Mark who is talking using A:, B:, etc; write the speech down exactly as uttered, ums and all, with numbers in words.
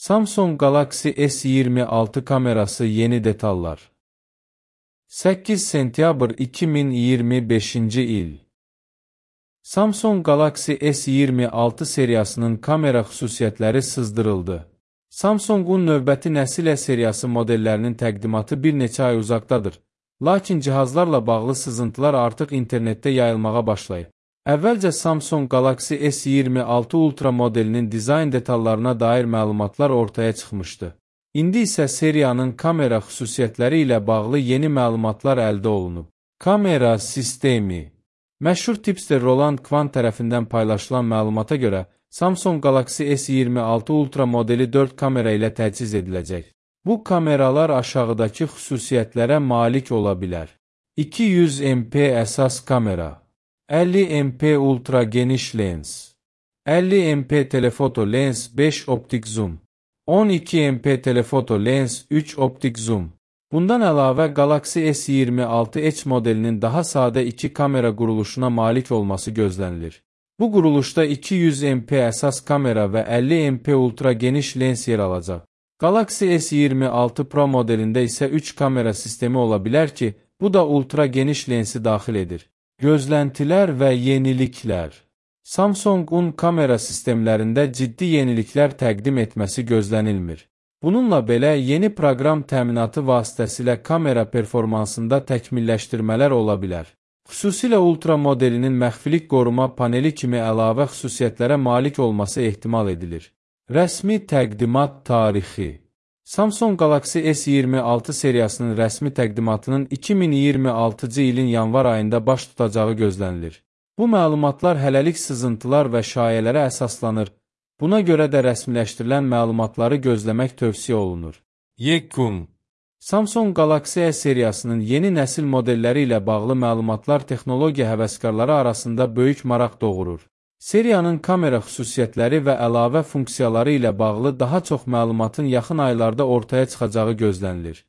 A: Samsung Galaxy S iyirmi altı kamerası yeni detallar. səkkiz sentyabr iki min iyirmi beşinci il. Samsung Galaxy S iyirmi altı seriyasının kamera xüsusiyyətləri sızdırıldı. Samsungun növbəti nəsil seriyası modellərinin təqdimatı bir neçə ay uzaqdadır. Lakin cihazlarla bağlı sızıntılar artıq internetdə yayılmağa başlayıb. Əvvəlcə Samsung Galaxy S iyirmi altı Ultra modelinin dizayn detallarına dair məlumatlar ortaya çıxmışdı. İndi isə seriyanın kamera xüsusiyyətləri ilə bağlı yeni məlumatlar əldə olunub. Kamera sistemi. Məşhur tipster Roland Quant tərəfindən paylaşılan məlumata görə, Samsung Galaxy S iyirmi altı Ultra modeli dörd kamera ilə təchiz ediləcək. Bu kameralar aşağıdakı xüsusiyyətlərə malik ola bilər. iki yüz megapiksellik əsas kamera, əlli megapiksellik ultra geniş lens, əlli megapiksellik telefoto lens beş optik zoom, on iki megapiksellik telefoto lens üç optik zoom. Bundan əlavə Galaxy S iyirmi altı Edge modelinin daha sadə iki kamera quruluşuna malik olması gözlənilir. Bu quruluşda iki yüz megapiksellik əsas kamera və əlli megapiksellik ultra geniş lens yer alacaq. Galaxy S iyirmi altı Pro modelində isə üç kamera sistemi ola bilər ki, bu da ultra geniş lensi daxil edir. Gözləntilər və yeniliklər. Samsungun kamera sistemlərində ciddi yeniliklər təqdim etməsi gözlənilmir. Bununla belə, yeni proqram təminatı vasitəsilə kamera performansında təkmilləşdirmələr ola bilər. Xüsusilə Ultra modelinin məxfilik qoruma paneli kimi əlavə xüsusiyyətlərə malik olması ehtimal edilir. Rəsmi təqdimat tarixi. Samsung Galaxy S iyirmi altı seriyasının rəsmi təqdimatının iki min iyirmi altıncı ilin yanvar ayında baş tutacağı gözlənilir. Bu məlumatlar hələlik sızıntılar və şayələrə əsaslanır. Buna görə də rəsmiləşdirilən məlumatları gözləmək tövsiyə olunur. Yekun. Samsung Galaxy S seriyasının yeni nəsil modelləri ilə bağlı məlumatlar texnologiya həvəskarları arasında böyük maraq doğurur. Seriyanın kamera xüsusiyyətləri və əlavə funksiyaları ilə bağlı daha çox məlumatın yaxın aylarda ortaya çıxacağı gözlənilir.